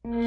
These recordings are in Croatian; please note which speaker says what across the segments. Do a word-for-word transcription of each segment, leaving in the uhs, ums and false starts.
Speaker 1: Hvala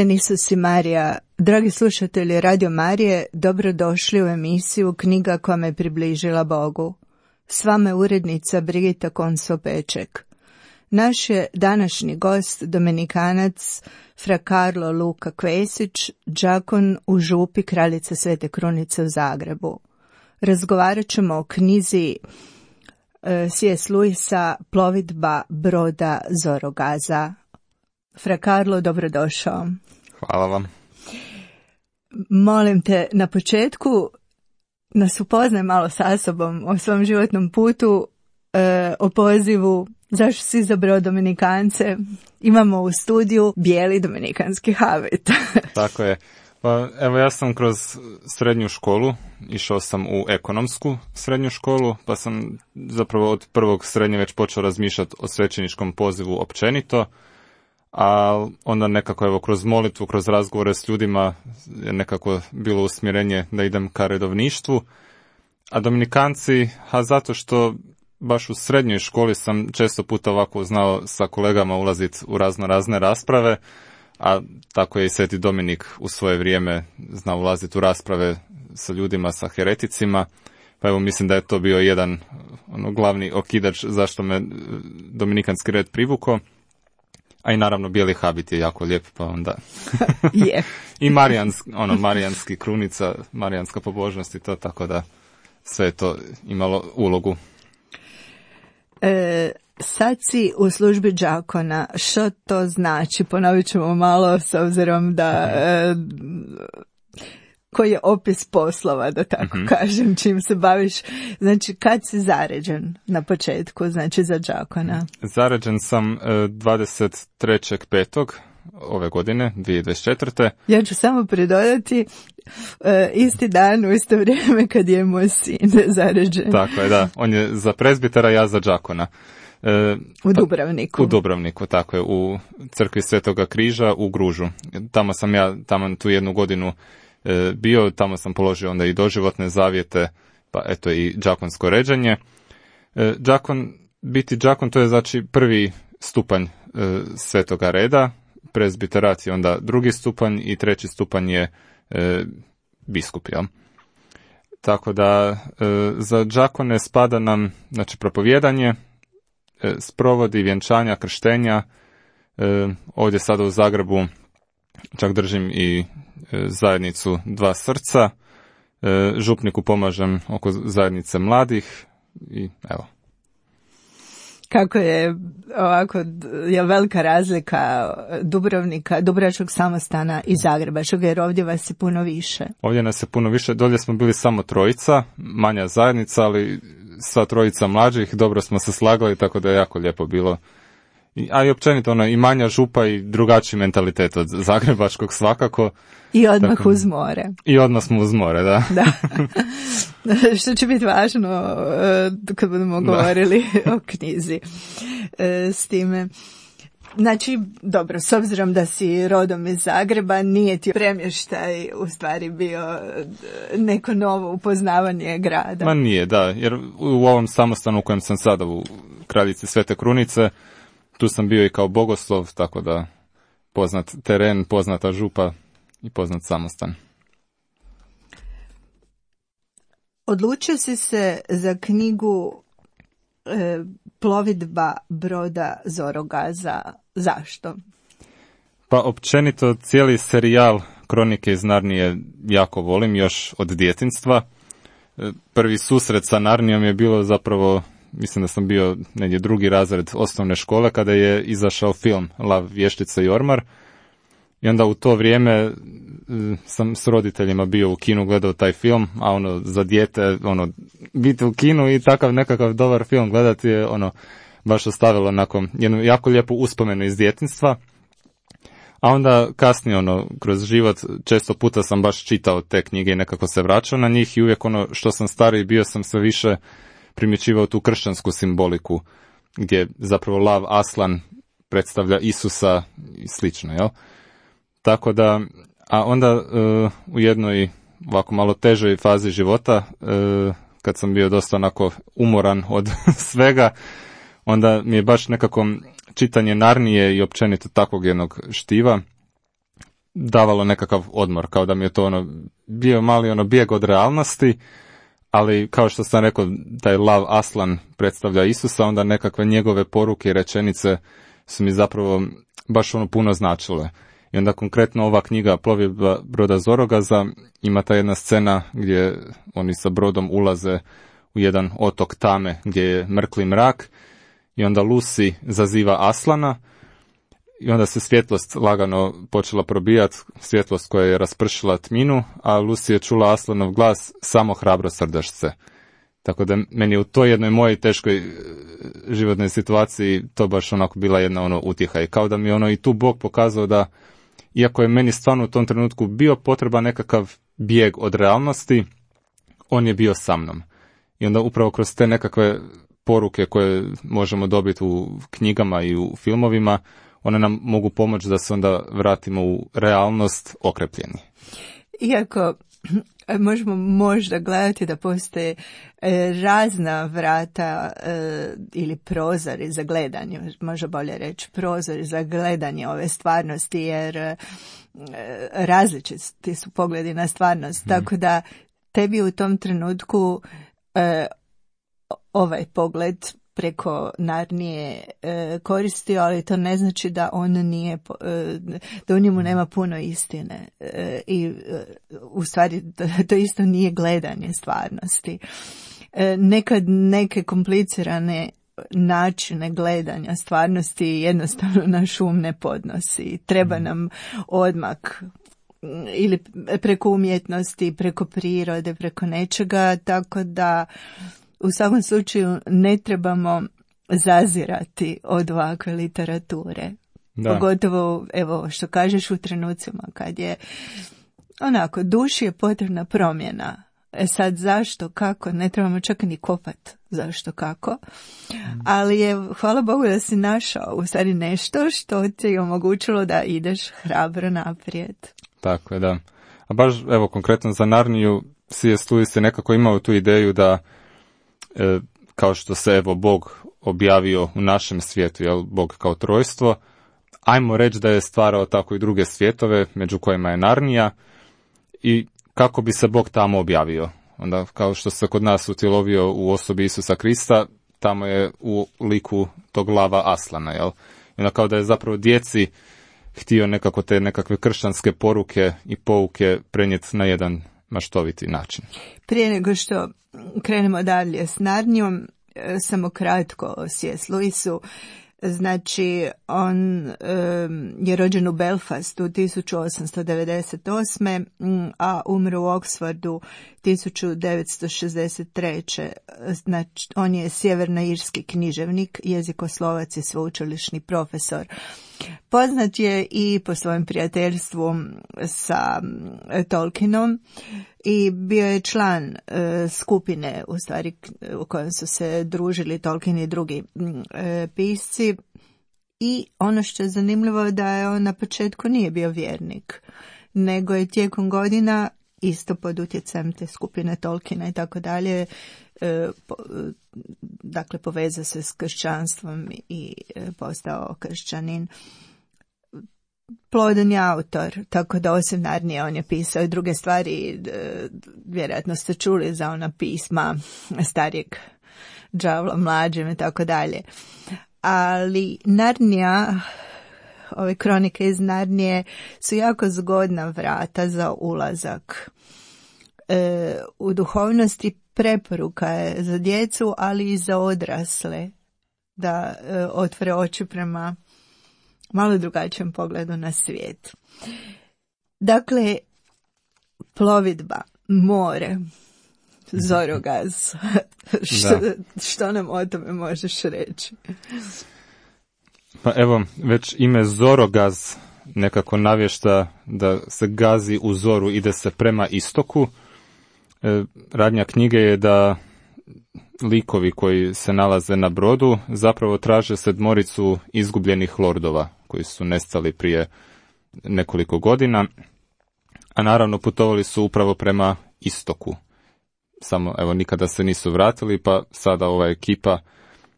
Speaker 1: Isus i Marija. Dragi slušatelji Radio Marije, dobrodošli u emisiju Knjiga koja me približila Bogu. S vama je urednica Brigita Konso-Peček. Naš je današnji gost Dominikanac fra Karlo Luka Kvesić, đakon u župi Kraljice Svete Krunice u Zagrebu. Razgovarat ćemo o knjizi C S. Lewisa Plovidba broda Zorogaza. Fra Karlo, dobrodošao.
Speaker 2: Hvala vam.
Speaker 1: Molim te, na početku nas upoznaj malo sa sobom o svom životnom putu, e, o pozivu, zašto si izabrao Dominikance. Imamo u studiju bijeli dominikanski habit.
Speaker 2: Tako je. Pa, evo, ja sam kroz srednju školu, išao sam u ekonomsku srednju školu, pa sam zapravo od prvog srednje već počeo razmišljati o svećeničkom pozivu općenito, a onda nekako evo kroz molitvu, kroz razgovore s ljudima je nekako bilo usmjerenje da idem ka redovništvu. A Dominikanci, a zato što baš u srednjoj školi sam često puta ovako znao sa kolegama ulaziti u razno razne rasprave, a tako je i Sveti Dominik u svoje vrijeme znao ulaziti u rasprave sa ljudima, sa hereticima, pa evo mislim da je to bio jedan ono, glavni okidač zašto me dominikanski red privukao. A i naravno bijeli habit je jako lijep, pa onda...
Speaker 1: Je.
Speaker 2: I marijanski, ono, marijanski krunica, marijanska pobožnost i to, tako da sve je to imalo ulogu.
Speaker 1: E, sad si u službi đakona. Što to znači? Ponovit ćemo malo s obzirom da... E, koji je opis poslova, da tako mm-hmm. kažem, čim se baviš. Znači, kad si zaređen na početku, znači za đakona?
Speaker 2: Zaređen sam dvadeset trećeg petog ove godine, dvije tisuće dvadeset četvrte.
Speaker 1: Ja ću samo pridodati uh, isti dan, u isto vrijeme kad je moj sin zaređen.
Speaker 2: Tako je, da. On je za prezbitera, ja za đakona. Uh,
Speaker 1: u Dubrovniku.
Speaker 2: U Dubrovniku, tako je, u crkvi Svetoga križa u Gružu. Tamo sam ja, tamo tu jednu godinu bio, tamo sam položio onda i doživotne zavjete, pa eto i đakonsko ređenje. Đakon, biti đakon to je znači prvi stupanj e, svetoga reda, prezbiterat je onda drugi stupanj i treći stupanj je e, biskup, jel? Tako da e, za đakone spada nam znači propovijedanje, e, sprovodi vjenčanja, krštenja, e, ovdje sada u Zagrebu čak držim i zajednicu Dva srca, župniku pomažem oko zajednice mladih i evo.
Speaker 1: Kako je ovako, je velika razlika Dubrovnika, Dubrovačkog samostana i Zagrebačkog, jer ovdje vas je puno više.
Speaker 2: Ovdje nas je puno više, dolje smo bili samo trojica, manja zajednica, ali sva trojica mlađih, dobro smo se slagali, tako da je jako lijepo bilo. A i općenito ono, i manja župa i drugačiji mentalitet od zagrebačkog svakako.
Speaker 1: I odmah
Speaker 2: tako, uz
Speaker 1: more.
Speaker 2: I odmah smo uz more, da.
Speaker 1: Da. Što će biti važno kad budemo govorili o knjizi s time. Znači, dobro, s obzirom da si rodom iz Zagreba, nije ti premještaj u stvari bio neko novo upoznavanje grada.
Speaker 2: Ma nije, da, jer u ovom samostanu u kojem sam sada u Kraljici Svete Krunice, tu sam bio i kao bogoslov, tako da poznat teren, poznata župa i poznat samostan.
Speaker 1: Odlučio si se za knjigu e, Plovidba broda Zorogaza. Zašto?
Speaker 2: Pa općenito cijeli serijal Kronike iz Narnije jako volim još od djetinjstva. Prvi susret sa Narnijom je bilo zapravo, mislim da sam bio negdje drugi razred osnovne škole kada je izašao film Lav, vještica i ormar. I onda u to vrijeme sam s roditeljima bio u kinu, gledao taj film, a ono za dijete, ono, biti u kinu i takav nekakav dobar film gledati je ono baš ostavilo onako jednu jako lijepu uspomenu iz djetinjstva. A onda kasnije, ono, kroz život, često puta sam baš čitao te knjige i nekako se vraćao na njih i uvijek ono što sam stariji bio sam sve više primjećivao tu kršćansku simboliku, gdje zapravo lav Aslan predstavlja Isusa i slično, jel? Tako da, a onda uh, u jednoj ovako malo težoj fazi života, uh, kad sam bio dosta onako umoran od svega, onda mi je baš nekako čitanje Narnije i općenito takvog jednog štiva davalo nekakav odmor, kao da mi je to ono bio mali ono bijeg od realnosti, ali kao što sam rekao, taj lav Aslan predstavlja Isusa, onda nekakve njegove poruke i rečenice su mi zapravo baš ono puno značile. I onda konkretno ova knjiga Plovidba broda Zorogaza ima ta jedna scena gdje oni sa brodom ulaze u jedan otok tame gdje je mrkli mrak i onda Lucy zaziva Aslana i onda se svjetlost lagano počela probijati, svjetlost koja je raspršila tminu, a Lucy je čula Aslanov glas, samo hrabro srdašce. Tako da meni u toj jednoj mojoj teškoj životnoj situaciji to baš onako bila jedna ono utjeha i kao da mi ono i tu Bog pokazao da iako je meni stvarno u tom trenutku bio potreban nekakav bijeg od realnosti, on je bio sa mnom. I onda upravo kroz te nekakve poruke koje možemo dobiti u knjigama i u filmovima, one nam mogu pomoći da se onda vratimo u realnost okrepljeni.
Speaker 1: Iako možemo možda gledati da postoje razna vrata ili prozori za gledanje, možda bolje reći prozori za gledanje ove stvarnosti, jer različiti su pogledi na stvarnost, mm. tako da tebi u tom trenutku ovaj pogled preko Narnije e, koristio, ali to ne znači da on nije, e, da u njemu nema puno istine e, i e, u stvari to, to isto nije gledanje stvarnosti. E, nekad neke komplicirane načine gledanja stvarnosti jednostavno naš um ne podnosi. Treba nam odmak ili preko umjetnosti, preko prirode, preko nečega, tako da u svakom slučaju ne trebamo zazirati od ovakve literature. Da. Pogotovo, evo, što kažeš u trenucima kad je onako, duši je potrebna promjena. E sad zašto, kako, ne trebamo čak ni kopat zašto, kako. Ali je, hvala Bogu da si našao u stvari nešto što ti je omogućilo da ideš hrabro naprijed.
Speaker 2: Tako je, da. A baš, evo, konkretno za Narniju, C S. Lewis je nekako imao tu ideju da E, kao što se evo Bog objavio u našem svijetu, jel, Bog kao trojstvo, ajmo reći da je stvarao tako i druge svjetove, među kojima je Narnija, i kako bi se Bog tamo objavio. Onda kao što se kod nas utjelovio u osobi Isusa Krista, tamo je u liku tog lava Aslana, jel? I onda kao da je zapravo djeci htio nekako te nekakve kršćanske poruke i pouke prenijeti na jedan maštoviti način.
Speaker 1: Prije nego što krenemo dalje s Narnijom, samo kratko o C S. Lewisu. Znači, on um, je rođen u Belfastu tisuću osamsto devedeset osme. a umro u Oxfordu tisuću devetsto šezdeset treće. Znači, on je sjevernoirski književnik, jezikoslovac i sveučilišni profesor. Poznat je i po svojem prijateljstvu sa Tolkienom i bio je član e, skupine u stvari u kojem su se družili Tolkien i drugi e, pisci. I ono što je zanimljivo je da je on na početku nije bio vjernik, nego je tijekom godina isto pod utjecajem te skupine Tolkiena i tako dalje, dakle povezao se s kršćanstvom i postao kršćanin. Plodan je autor, tako da osim Narnije on je pisao i druge stvari, vjerojatno ste čuli za ona pisma starijeg đavla mlađem i tako dalje. Ali Narnija, ove kronike iz Narnije su jako zgodna vrata za ulazak e, u duhovnosti. Preporuka je za djecu, ali i za odrasle da e, otvore oči prema malo drugačijem pogledu na svijet. Dakle, plovidba, more, Zorogaz. što, što nam o tome možeš reći?
Speaker 2: Pa evo, već ime Zorogaz nekako navješta da se gazi u zoru, ide se prema istoku. E, radnja knjige je da likovi koji se nalaze na brodu zapravo traže sedmoricu izgubljenih lordova koji su nestali prije nekoliko godina, a naravno putovali su upravo prema istoku. Samo, evo, nikada se nisu vratili, pa sada ova ekipa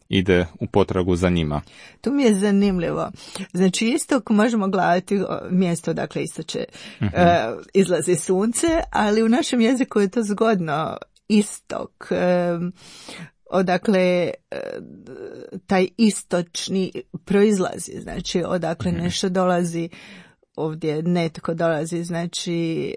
Speaker 2: ide u potragu za njima.
Speaker 1: Tu mi je zanimljivo. Znači, istok možemo gledati mjesto dakle istoče uh-huh. uh, izlazi sunce, ali u našem jeziku je to zgodno. Istok, um, odakle uh, taj istočni proizlazi, znači odakle uh-huh. nešto dolazi, ovdje netko dolazi, znači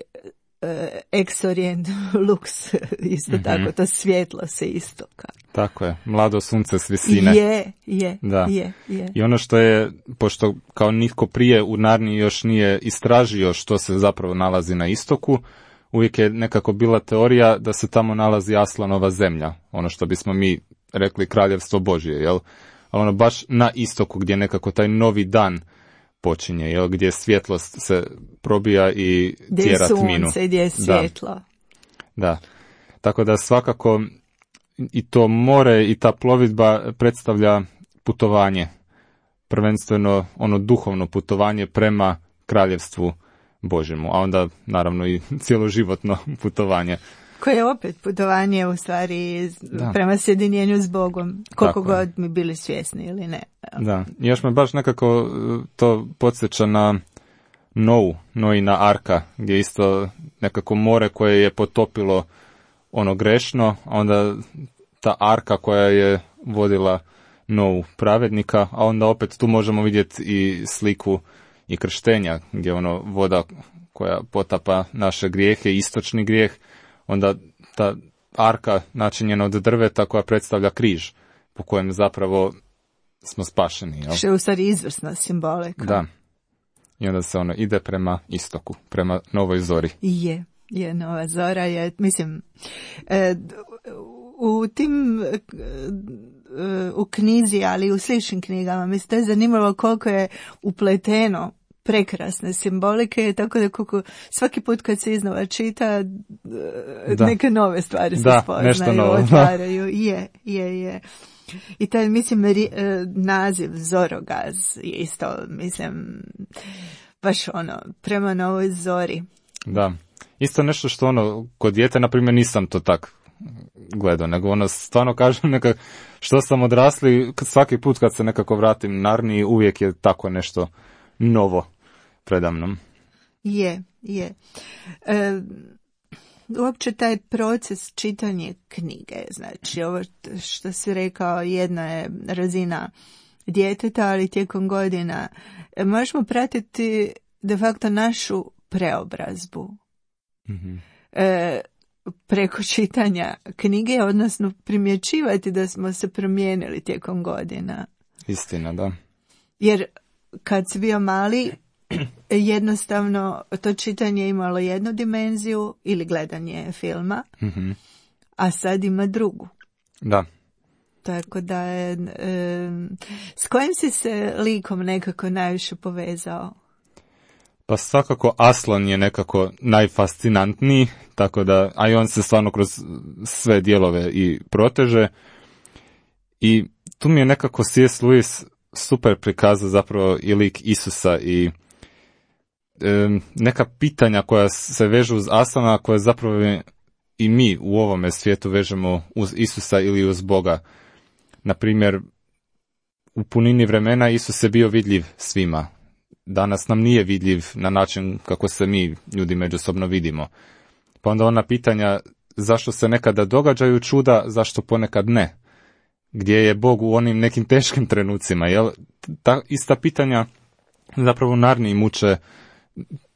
Speaker 1: uh, ex orient lux, isto uh-huh. tako, to svjetlo se istoka.
Speaker 2: Tako je, mlado sunce s visine.
Speaker 1: Je, je,
Speaker 2: da.
Speaker 1: je, je.
Speaker 2: I ono što je, pošto kao nitko prije u Narniji još nije istražio što se zapravo nalazi na istoku, uvijek je nekako bila teorija da se tamo nalazi Aslanova zemlja, ono što bismo mi rekli kraljevstvo Božje, jel? Ali ono baš na istoku gdje nekako taj novi dan počinje, jel? Gdje svjetlost se probija i
Speaker 1: gdje
Speaker 2: tjera
Speaker 1: sunce,
Speaker 2: tminu.
Speaker 1: Gdje je svjetlo.
Speaker 2: Da. da. Tako da svakako i to more i ta plovidba predstavlja putovanje, prvenstveno ono duhovno putovanje prema kraljevstvu Božjemu, a onda naravno i cjeloživotno putovanje.
Speaker 1: Koje je opet putovanje u stvari da. prema sjedinjenju s Bogom, koliko Tako god je. mi bili svjesni ili ne.
Speaker 2: Da, još me baš nekako to podsjeća na Nou, Noina arka, gdje isto nekako more koje je potopilo ono grešno, a onda ta arka koja je vodila Nou pravednika, a onda opet tu možemo vidjeti i sliku i krštenja, gdje ono voda koja potapa naše grijehe, istočni grijeh, onda ta arka načinjena od drveta koja predstavlja križ, po kojem zapravo smo spašeni. Jel?
Speaker 1: Što je u stvari izvrsna simbolika.
Speaker 2: Da. I onda se ono ide prema istoku, prema novoj zori.
Speaker 1: Je, je nova zora, je, mislim, e, u tim e, u knjizi, ali i u sličnim knjigama, mislim, to je zanimljivo koliko je upleteno prekrasne simbolike, tako da koliko svaki put kad se iznova čita da. neke nove stvari se
Speaker 2: da,
Speaker 1: spoznaju, otvaraju. je, je, je. I taj, mislim, ri, naziv Zorogaz je isto, mislim, baš ono, prema novoj zori.
Speaker 2: Da, isto nešto što ono, kod dijete, na primjer, nisam to tak gledao, nego ono, stvarno kažem, neka, što sam odrasli, svaki put kad se nekako vratim Narniji, uvijek je tako nešto novo predamnom.
Speaker 1: Je, je. E, uopće taj proces čitanja knjige, znači ovo što si rekao, jedna je razina djeteta, ali tijekom godina možemo pratiti de facto našu preobrazbu. Mm-hmm. E, preko čitanja knjige, odnosno primjećivati da smo se promijenili tijekom godina.
Speaker 2: Istina, da.
Speaker 1: Jer kad si bio mali, jednostavno to čitanje imalo jednu dimenziju ili gledanje filma, mm-hmm. a sad ima drugu.
Speaker 2: Da.
Speaker 1: Tako da je, e, s kojim si se likom nekako najviše povezao?
Speaker 2: Pa svakako Aslan je nekako najfascinantniji, tako da, a i on se stvarno kroz sve dijelove i proteže. I tu mi je nekako C S. Lewis super prikazao zapravo i lik Isusa i e, neka pitanja koja se vežu uz Aslana, koje zapravo i mi u ovome svijetu vežemo uz Isusa ili uz Boga. Naprimjer, u punini vremena Isus je bio vidljiv svima. Danas nam nije vidljiv na način kako se mi, ljudi, međusobno vidimo. Pa onda ona pitanja, zašto se nekada događaju čuda, zašto ponekad ne? Gdje je Bog u onim nekim teškim trenucima? Jel? Ta ista pitanja zapravo u Narniji muče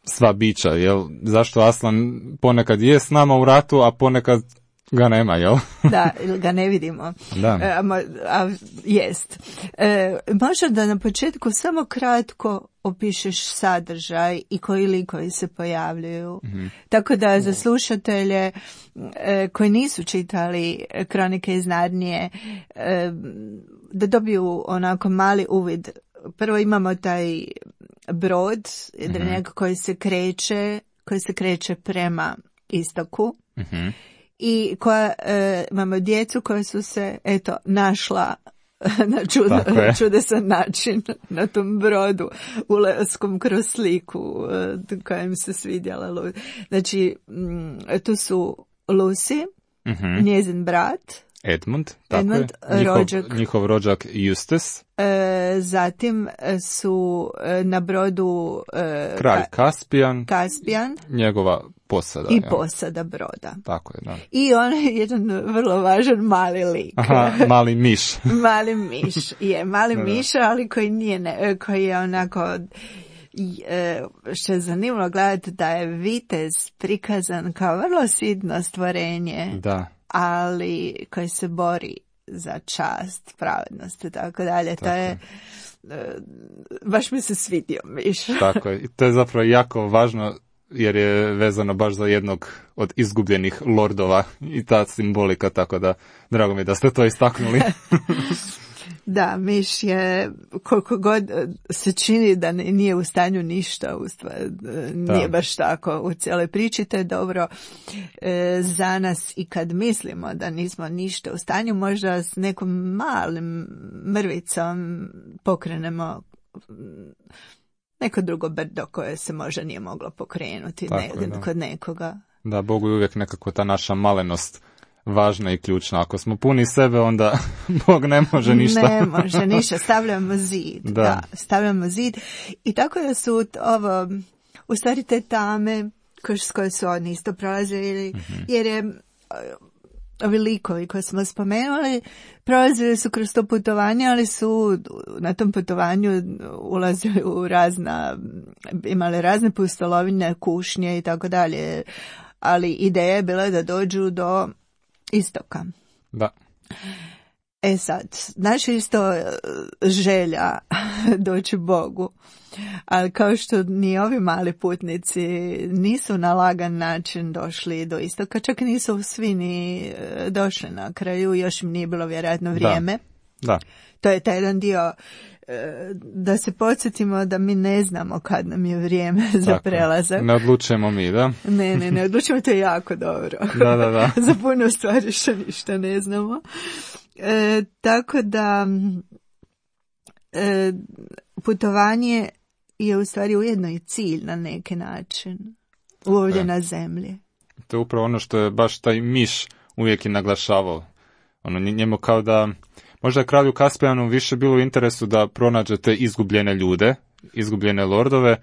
Speaker 2: sva bića. Jel? Zašto Aslan ponekad je s nama u ratu, a ponekad ga nema, jel?
Speaker 1: Da, ili ga ne vidimo.
Speaker 2: Da.
Speaker 1: E, a, a, jest. E, možda da na početku samo kratko opišeš sadržaj i koji likovi se pojavljuju. Mm-hmm. Tako da za slušatelje e, koji nisu čitali Kronike iz Narnije, e, da dobiju onako mali uvid. Prvo imamo taj brod, jedrenjak mm-hmm. koji se kreće, koji se kreće prema istoku.
Speaker 2: Mm-hmm.
Speaker 1: I koja, e, imamo djecu koja su se, eto, našla na čud, čudesan način na tom brodu ulaskom kroz sliku e, koja im se svidjela. Znači, m, tu su Lucy,
Speaker 2: mm-hmm.
Speaker 1: njezin brat,
Speaker 2: Edmund, tako
Speaker 1: Edmund,
Speaker 2: je. Njihov,
Speaker 1: rođak,
Speaker 2: njihov rođak Eustace.
Speaker 1: E, zatim su e, na brodu e,
Speaker 2: Kralj Kaspijan,
Speaker 1: Kaspijan,
Speaker 2: njegova posada.
Speaker 1: I
Speaker 2: ja.
Speaker 1: posada broda.
Speaker 2: Tako je, da.
Speaker 1: I on je jedan vrlo važan mali lik.
Speaker 2: Aha, mali miš.
Speaker 1: Mali miš, je, mali
Speaker 2: da,
Speaker 1: miš, ali koji nije, ne, koji je onako, što je zanimljivo gledati da je vitez prikazan kao vrlo sidno stvorenje.
Speaker 2: Da.
Speaker 1: Ali koji se bori za čast, pravednost i tako dalje. To je, baš mi se svidio miš.
Speaker 2: Tako je. I to je zapravo jako važno jer je vezano baš za jednog od izgubljenih lordova i ta simbolika, tako da drago mi je da ste to istaknuli.
Speaker 1: Da, miš je, koliko god se čini da nije u stanju ništa, u stvari, nije da. Baš tako u cijeloj priči, to je dobro e, za nas i kad mislimo da nismo ništa u stanju, možda s nekom malim mrvicom pokrenemo neko drugo brdo koje se možda nije moglo pokrenuti ne, je, kod nekoga.
Speaker 2: Da, Bogu je uvijek nekako ta naša malenost važna i ključna. Ako smo puni sebe, onda Bog ne može ništa.
Speaker 1: Ne može ništa, stavljamo zid. Da. da, stavljamo zid. I tako da su ovo, u stvari te tame s koje su oni isto prolazili, mm-hmm. jer je ovi likovi koje smo spomenuli prolazili su kroz to putovanje, ali su na tom putovanju ulazili u razna, imali razne pustolovine, kušnje i tako dalje. Ali ideja je bila da dođu do istoka.
Speaker 2: Da.
Speaker 1: E sad, naša isto želja doći Bogu, ali kao što ni ovi mali putnici nisu na lagan način došli do istoka, čak nisu svi ni došli na kraju, još im nije bilo vjerojatno vrijeme.
Speaker 2: Da. Da.
Speaker 1: To je taj jedan dio da se podsjetimo da mi ne znamo kad nam je vrijeme za
Speaker 2: Tako,
Speaker 1: prelazak.
Speaker 2: Ne odlučujemo mi, da?
Speaker 1: Ne, ne, ne odlučujemo, to je jako dobro.
Speaker 2: Da, da, da.
Speaker 1: Za puno stvari što ništa ne znamo. E, tako da e, putovanje je u stvari ujedno i cilj na neki način ovdje e. na zemlji.
Speaker 2: To je upravo ono što je baš taj miš uvijek i naglašavao. Ono, njemu kao da možda je kralju Kaspijanu više bilo u interesu da pronađe te izgubljene ljude, izgubljene lordove,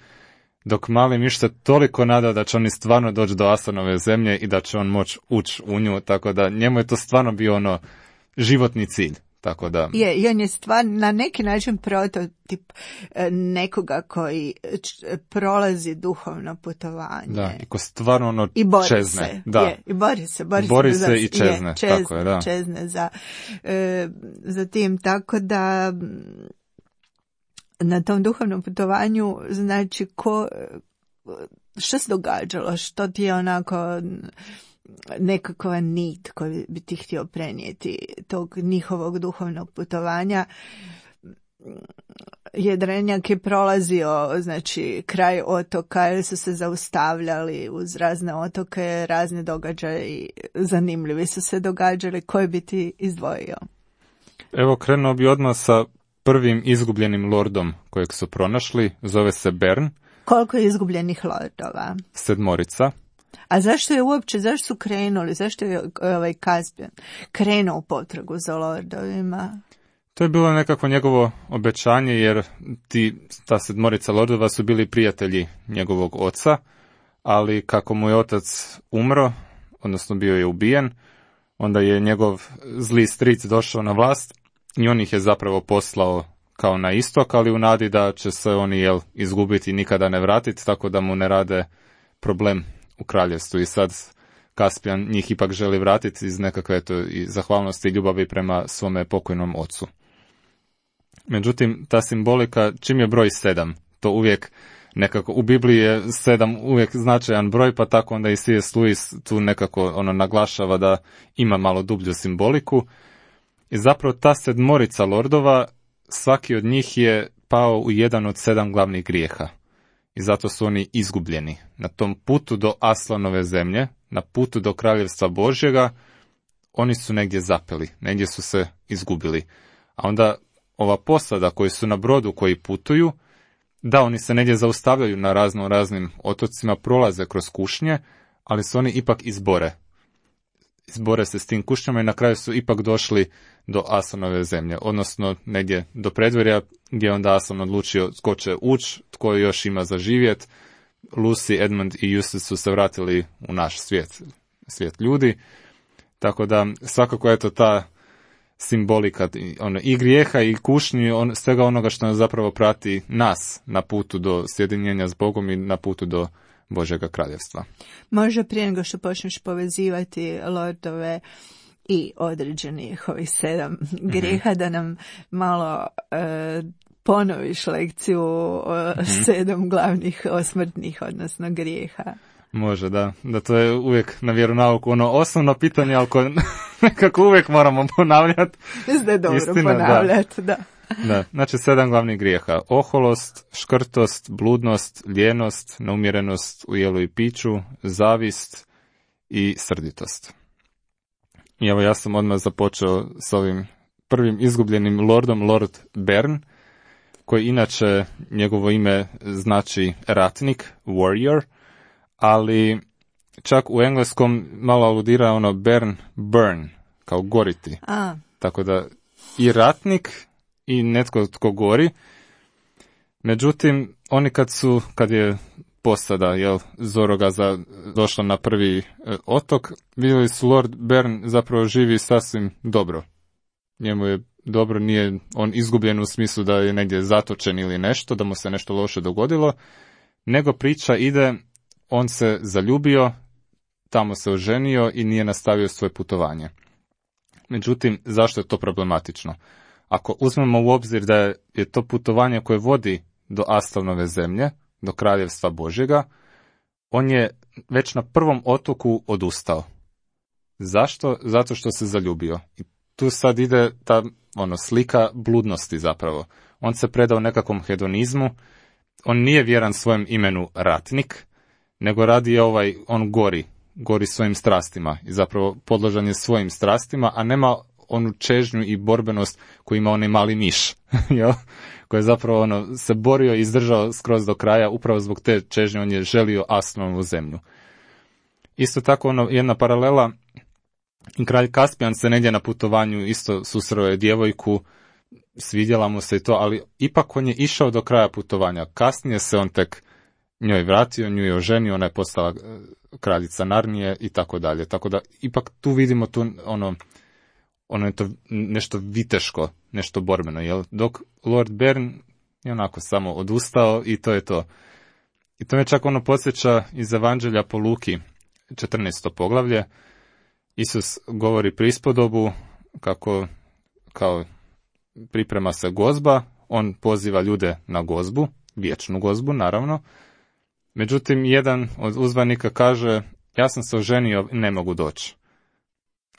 Speaker 2: dok mali miš se toliko nada da će oni stvarno doći do Asanove zemlje i da će on moći ući u nju, tako da njemu je to stvarno bio ono životni cilj. Tako da...
Speaker 1: Je, i on je stvarno na neki način prototip nekoga koji prolazi duhovno putovanje.
Speaker 2: Da, i ko stvarno ono
Speaker 1: I bori
Speaker 2: čezne.
Speaker 1: Se,
Speaker 2: da.
Speaker 1: Je, i bori se. Bori,
Speaker 2: bori se,
Speaker 1: se
Speaker 2: se i čezne,
Speaker 1: je, čezne,
Speaker 2: tako je, da.
Speaker 1: Čezne za, e, za tim, tako da na tom duhovnom putovanju, znači, ko, što se događalo, što ti je onako nekakva nit koju bi ti htio prenijeti tog njihovog duhovnog putovanja. Jedrenjak je prolazio, znači, kraj otoka, jer su se zaustavljali uz razne otoke, razne događaje zanimljivi su se događali. Koji bi ti izdvojio?
Speaker 2: Evo, krenuo bi odmah sa prvim izgubljenim lordom kojeg su pronašli, zove se Bern.
Speaker 1: Koliko je izgubljenih lordova?
Speaker 2: Sedmorica.
Speaker 1: A zašto je uopće, zašto su krenuli, zašto je ovaj Kaspijan krenuo u potragu za lordovima?
Speaker 2: To je bilo nekako njegovo obećanje, jer ti, ta sedmorica lordova su bili prijatelji njegovog oca, ali kako mu je otac umro, odnosno bio je ubijen, onda je njegov zli stric došao na vlast i on ih je zapravo poslao kao na istok, ali u nadi da će se oni jel, izgubiti i nikada ne vratiti, tako da mu ne rade problem u kraljevstvu. I sad Kaspijan njih ipak želi vratiti iz nekakve eto, i zahvalnosti i ljubavi prema svome pokojnom ocu. Međutim, ta simbolika, čim je broj sedam, to uvijek nekako, u Bibliji je sedam uvijek značajan broj, pa tako onda i C S. Lewis tu nekako ono naglašava da ima malo dublju simboliku. I zapravo ta sedmorica lordova, svaki od njih je pao u jedan od sedam glavnih grijeha. i zato su oni izgubljeni. Na tom putu do Aslanove zemlje, na putu do Kraljevstva Božjega, oni su negdje zapeli, negdje su se izgubili. A onda ova posada koji su na brodu koji putuju, da, oni se negdje zaustavljaju na razno raznim otocima, prolaze kroz kušnje, ali se oni ipak izbore. Izbore se s tim kušnjama i na kraju su ipak došli do Aslanove zemlje, odnosno negdje do predvorja gdje onda Aslan odlučio tko će ući, tko još ima za živjet. Lucy, Edmund i Eustace su se vratili u naš svijet, svijet ljudi. Tako da svakako je to ta simbolika ono, i grijeha i kušnji, on, svega onoga što nas zapravo prati nas na putu do sjedinjenja s Bogom i na putu do Božjega kraljevstva.
Speaker 1: Može prije nego što počneš povezivati lordove i određenih ovih sedam grijeha, mm-hmm. da nam malo e, ponoviš lekciju o mm-hmm. sedam glavnih osmrtnih, odnosno grijeha.
Speaker 2: Može, da. Da to je uvijek na vjeronauku ono osnovno pitanje, ali koje nekako uvijek moramo ponavljati.
Speaker 1: Mislim da je dobro Istina, ponavljati, da.
Speaker 2: da. Da, znači sedam glavnih grijeha. Oholost, škrtost, bludnost, lijenost, neumjerenost u jelu i piću, zavist i srditost. I evo ja sam odmah započeo s ovim prvim izgubljenim lordom, Lord Bern, koji inače njegovo ime znači ratnik, warrior, ali čak u engleskom malo aludira ono Bern, burn, kao goriti.
Speaker 1: A.
Speaker 2: Tako da i ratnik i netko tko gori. Međutim, oni kad su, kad je posada, jel, Zorogaza došla na prvi e, otok, vidjeli su Lord Bern zapravo živi sasvim dobro. Njemu je dobro, nije on izgubljen u smislu da je negdje zatočen ili nešto, da mu se nešto loše dogodilo, nego priča ide, on se zaljubio, tamo se oženio i nije nastavio svoje putovanje. Međutim, zašto je to problematično? Ako uzmemo u obzir da je to putovanje koje vodi do Aslanove zemlje, do Kraljevstva Božjega, on je već na prvom otoku odustao. Zašto? Zato što se zaljubio. I tu sad ide ta ono, slika bludnosti zapravo. On se predao nekakvom hedonizmu, on nije vjeran svojem imenu ratnik, nego radi ovaj, on gori, gori svojim strastima i zapravo podložan je svojim strastima, a nema onu čežnju i borbenost koju ima onaj mali miš, jel? Koji je zapravo ono, se borio i izdržao skroz do kraja, upravo zbog te čežnje on je želio Aslanovu zemlju. Isto tako ono, jedna paralela, kralj Kaspijan se negdje na putovanju isto susreo je djevojku, svidjela mu se i to, ali ipak on je išao do kraja putovanja. Kasnije se on tek njoj vratio, nju je oženio, ona je postala kraljica Narnije i tako dalje. Tako da ipak tu vidimo tu ono, ono je to nešto viteško, nešto borbeno, jel? Dok Lord Bern je onako samo odustao i to je to. I to me čak ono podsjeća iz Evanđelja po Luki, četrnaesto poglavlje. Isus govori prispodobu kako kao priprema se gozba, on poziva ljude na gozbu, vječnu gozbu naravno. Međutim, jedan od uzvanika kaže, ja sam se oženio i ne mogu doći.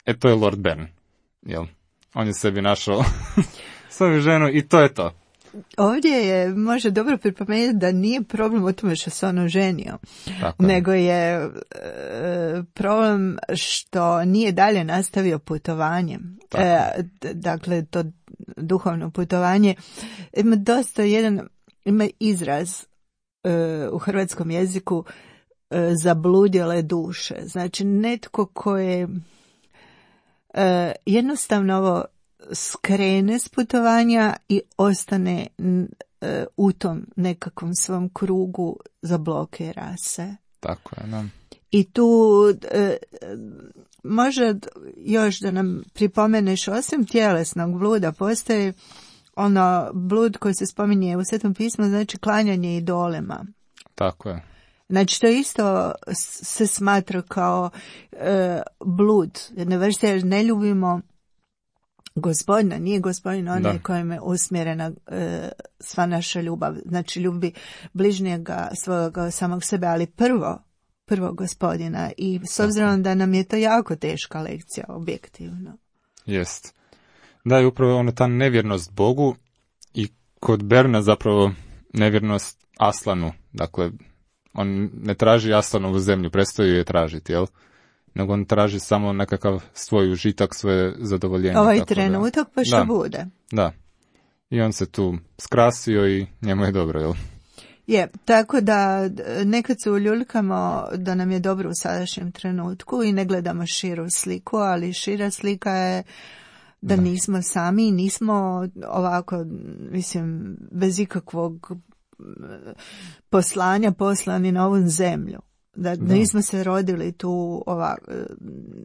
Speaker 2: E to je Lord Bern, jel? On je sebi našao svoju ženu i to je to.
Speaker 1: Ovdje je može dobro pripomenuti da nije problem u tome što se on oženio, nego je e, problem što nije dalje nastavio putovanje. E, dakle, to duhovno putovanje ima dosta jedan, ima izraz e, u hrvatskom jeziku e, zabludjele duše. Znači, netko ko je e, jednostavno ovo skrene s putovanja i ostane e, u tom nekakvom svom krugu zablokira se.
Speaker 2: Tako je, da.
Speaker 1: I tu e, može još da nam pripomeneš, osim tjelesnog bluda, postoji ono blud koji se spominje u Svetom pismu, znači klanjanje idolima.
Speaker 2: Tako je.
Speaker 1: Znači to isto se smatra kao e, blud. Jedne vrste, jer ne ljubimo Gospodina, nije Gospodin onaj kojem je usmjerena e, sva naša ljubav. Znači ljubi bližnjega svojega samog sebe, ali prvo, prvo Gospodina. I s obzirom da nam je to jako teška lekcija, objektivno.
Speaker 2: Jest. Da, je upravo ona ta nevjernost Bogu i kod Berna zapravo nevjernost Aslanu, dakle, on ne traži Aslanovu zemlju, prestaju je tražiti, jel? Nego on traži samo nekakav svoj užitak, svoje zadovoljenje.
Speaker 1: Ovaj
Speaker 2: tako
Speaker 1: trenutak
Speaker 2: da.
Speaker 1: pa što
Speaker 2: da,
Speaker 1: bude.
Speaker 2: Da. I on se tu skrasio i njemu je dobro, jel?
Speaker 1: Je, tako da nekad se uljuljkamo da nam je dobro u sadašnjem trenutku i ne gledamo širu sliku, ali šira slika je da, da. nismo sami, nismo ovako, mislim, bez ikakvog poslanja poslani na ovu zemlju. Da, da nismo se rodili tu ovako,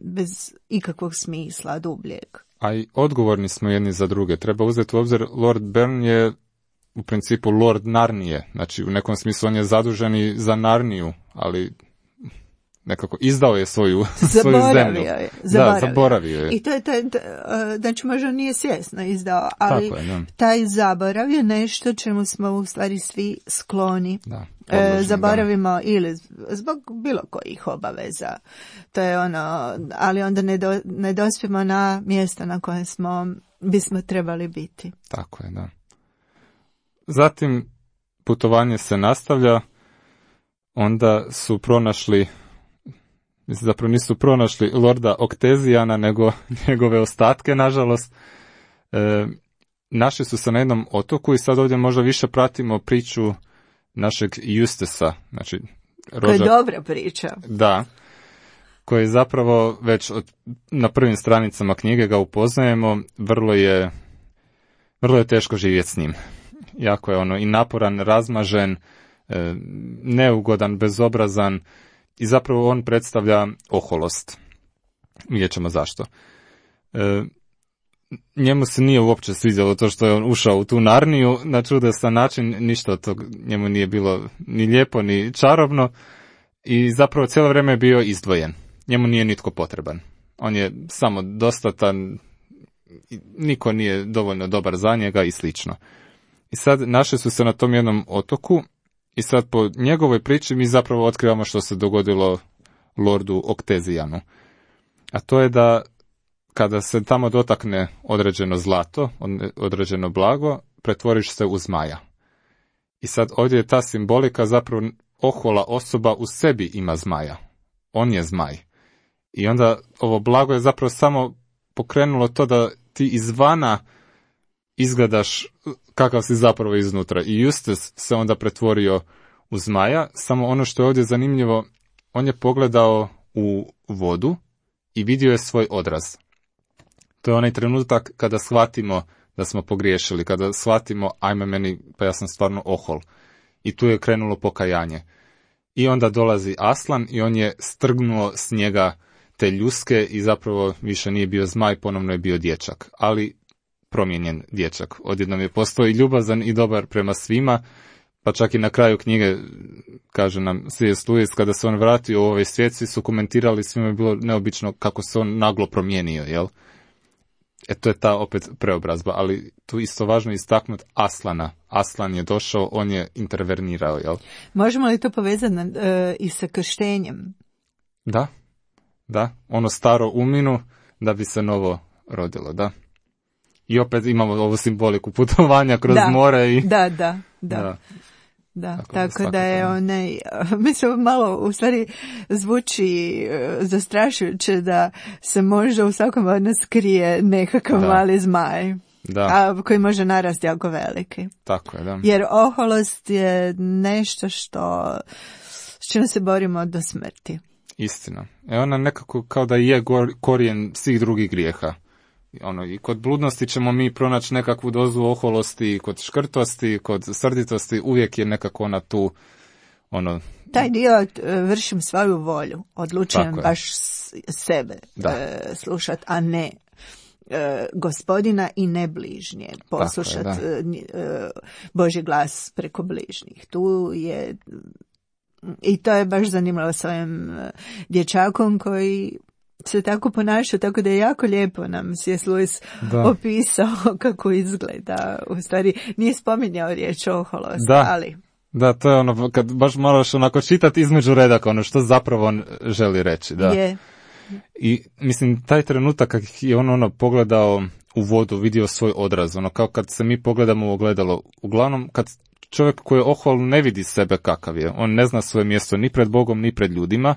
Speaker 1: bez ikakvog smisla dubljeg.
Speaker 2: A i odgovorni smo jedni za druge. Treba uzeti u obzir, Lord Bern je u principu Lord Narnije. Znači, u nekom smislu on je zadužen i za Narniju, ali nekako izdao je svoju, svoju zemlju.
Speaker 1: Je, zaboravio.
Speaker 2: Da, zaboravio je.
Speaker 1: I to je, to je, znači možda nije svjesno izdao, ali
Speaker 2: je,
Speaker 1: taj zaborav je nešto čemu smo u stvari svi skloni.
Speaker 2: Da. Odložen,
Speaker 1: zaboravimo
Speaker 2: da.
Speaker 1: Ili zbog bilo kojih obaveza. To je ono, ali onda ne, do, ne dospijemo na mjesta na kojem smo, bismo trebali biti.
Speaker 2: Tako je, da. Zatim putovanje se nastavlja, onda su pronašli, mislim zapravo nisu pronašli Lorda Oktezijana, nego njegove ostatke, nažalost. E, našli su se na jednom otoku i sad ovdje možda više pratimo priču našeg Justesa, znači rođak,
Speaker 1: to je dobra priča.
Speaker 2: Da, koji zapravo već od, na prvim stranicama knjige ga upoznajemo, vrlo je, vrlo je teško živjeti s njim. Jako je ono i naporan, razmažen, e, neugodan, bezobrazan i zapravo on predstavlja oholost. Vidjet ćemo zašto. E, njemu se nije uopće sviđalo to što je on ušao u tu Narniju na čudesan način, ništa od tog njemu nije bilo ni lijepo ni čarobno i zapravo cijelo vrijeme je bio izdvojen. Njemu nije nitko potreban. On je samo dostatan, niko nije dovoljno dobar za njega i slično. I sad našli su se na tom jednom otoku i sad po njegovoj priči mi zapravo otkrivamo što se dogodilo Lordu Oktezijanu. A to je da kada se tamo dotakne određeno zlato, određeno blago, pretvoriš se u zmaja. I sad ovdje je ta simbolika zapravo ohola osoba u sebi ima zmaja. On je zmaj. I onda ovo blago je zapravo samo pokrenulo to da ti izvana izgledaš kakav si zapravo iznutra. I Justus se onda pretvorio u zmaja, samo ono što je ovdje zanimljivo, on je pogledao u vodu i vidio je svoj odraz. To je onaj trenutak kada shvatimo da smo pogriješili, kada shvatimo ajme meni, pa ja sam stvarno ohol. I tu je krenulo pokajanje. I onda dolazi Aslan i on je strgnuo s njega te ljuske i zapravo više nije bio zmaj, ponovno je bio dječak. Ali promijenjen dječak. Odjednom je postao i ljubazan i dobar prema svima, pa čak i na kraju knjige, kaže nam C S. Lewis, kada se on vratio u ovaj svijet, svi su komentirali, svima je bilo neobično kako se on naglo promijenio, jel? E to je ta opet preobrazba, ali tu isto važno istaknuti Aslana. Aslan je došao, on je intervenirao, jel?
Speaker 1: Možemo li to povezati uh, i sa krštenjem?
Speaker 2: Da, da, ono staro uminu da bi se novo rodilo, da. I opet imamo ovu simboliku putovanja kroz
Speaker 1: da,
Speaker 2: more i...
Speaker 1: Da, da, da. da. Da, tako, tako da, da je onaj, mislim, malo u stvari zvuči zastrašujuće da se možda u svakom od nas krije nekakav da. mali zmaj,
Speaker 2: da.
Speaker 1: a koji može narasti jako veliki.
Speaker 2: Tako je, da.
Speaker 1: Jer oholost je nešto što, s čim se borimo do smrti.
Speaker 2: Istina. E ona nekako kao da je korijen svih drugih grijeha. Ono, i kod bludnosti ćemo mi pronaći nekakvu dozu oholosti, kod škrtosti, kod srditosti, uvijek je nekako ona tu, ono...
Speaker 1: Taj dio vršim svoju volju, odlučujem baš sebe e, slušati, a ne e, gospodina i ne bližnje, poslušati e, Božji glas preko bližnjih. Tu je, i to je baš zanimljivo s ovim dječakom koji se tako ponaša, tako da je jako lijepo nam C S. Lewis da. opisao kako izgleda. U stvari nije spominjao riječ oholost,
Speaker 2: da.
Speaker 1: ali...
Speaker 2: Da, to je ono, kad baš moraš onako čitati između redaka, ono što zapravo on želi reći, da.
Speaker 1: Je.
Speaker 2: I, mislim, taj trenutak kad je on ono pogledao u vodu, vidio svoj odraz, ono kao kad se mi pogledamo u ogledalo, uglavnom kad čovjek koji je ohol ne vidi sebe kakav je. On ne zna svoje mjesto ni pred Bogom, ni pred ljudima.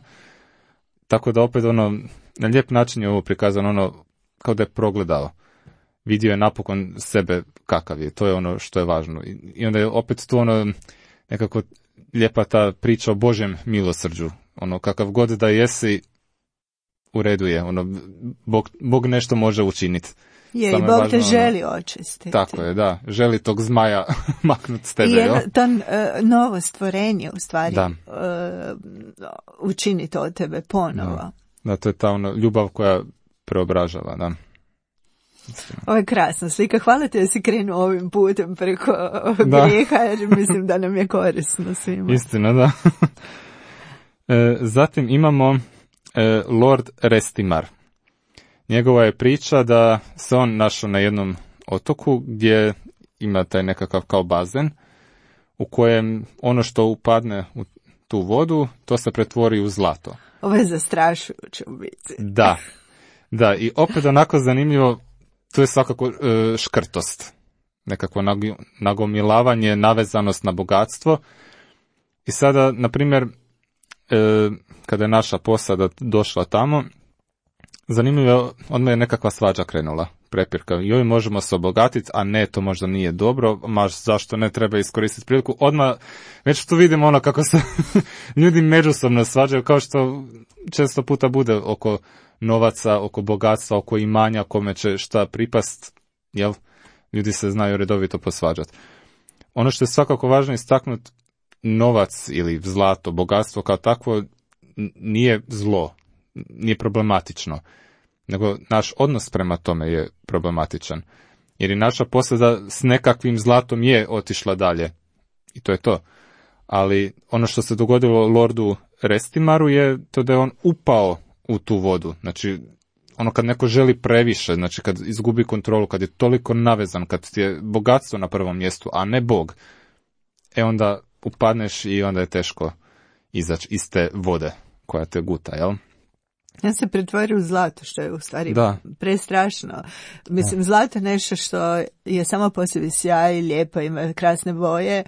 Speaker 2: Tako da opet ono, na lijep način je ovo prikazano, ono, kao da je progledao. Vidio je napokon sebe kakav je. To je ono što je važno. I onda je opet to ono, nekako lijepa ta priča o Božjem milosrđu. Ono, kakav god da jesi, u redu je. Ono, Bog, Bog nešto može učiniti.
Speaker 1: Je, i Bog te želi očistiti.
Speaker 2: Tako je, da. Želi tog zmaja maknuti s tebe.
Speaker 1: I jedno, to uh, novo stvorenje, u stvari,
Speaker 2: da.
Speaker 1: uh, učiniti od tebe ponovo.
Speaker 2: Da, da, to je ta ono, ljubav koja preobražava, da.
Speaker 1: Ovo je krasna slika. Hvala ti da si krenuo ovim putem preko grijeha, jer mislim da nam je korisno svima.
Speaker 2: Istina, da. e, zatim imamo e, Lord Restimar. Njegova je priča da se on našao na jednom otoku gdje ima taj nekakav kao bazen u kojem ono što upadne u tu vodu, to se pretvori u zlato.
Speaker 1: Ovo je zastrašujuće u biti.
Speaker 2: Da, da, i opet onako zanimljivo, to je svakako e, škrtost, nekakvo nagomilavanje, navezanost na bogatstvo. I sada, na primjer, e, kada je naša posada došla tamo, zanimljivo je, odmah je nekakva svađa krenula, prepirka. Joj, možemo se obogatiti, a ne, to možda nije dobro, maš zašto ne treba iskoristiti priliku. Odmah, već tu vidimo ono kako se ljudi međusobno svađaju, kao što često puta bude oko novaca, oko bogatstva, oko imanja, kome će šta pripast, jel? Ljudi se znaju redovito posvađati. Ono što je svakako važno istaknuti, novac ili zlato, bogatstvo kao takvo nije zlo, nije problematično, nego naš odnos prema tome je problematičan. Jer i naša posada s nekakvim zlatom je otišla dalje. I to je to. Ali ono što se dogodilo Lordu Restimaru je to da je on upao u tu vodu. Znači, ono kad neko želi previše, znači kad izgubi kontrolu, kad je toliko navezan, kad ti je bogatstvo na prvom mjestu, a ne Bog, e onda upadneš i onda je teško izaći iz te vode koja te guta, jel?
Speaker 1: Ja se pretvori u zlato, što je u stvari
Speaker 2: da.
Speaker 1: prestrašno. Mislim, da. Zlato je nešto što je samo po sebi sjaj, lijepo, ima krasne boje,